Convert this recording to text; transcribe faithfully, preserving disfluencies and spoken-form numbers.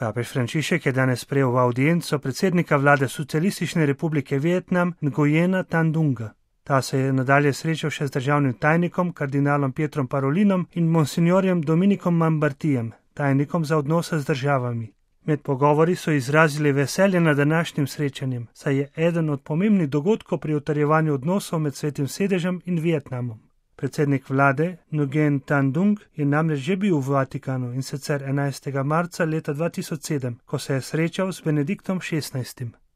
Papež Frančišek je danes sprejel v audienco predsednika vlade Socialistične republike Vietnam Nguyena Tan Dunga. Ta se je nadalje srečal še z državnim tajnikom, kardinalom Pietrom Parolinom in monsignorjem Dominikom Mambartijem, tajnikom za odnose z državami. Med pogovori so izrazili veselje nad današnjim srečanjem, saj je eden od pomembnih dogodkov pri utrjevanju odnosov med Svetim sedežem in Vietnamom. Predsednik vlade Nguyen Tan Dung je namreč že bil v Vatikanu in sicer enajstega marca leta dva tisoč sedem, ko se je srečal z Benediktom šestnajstim.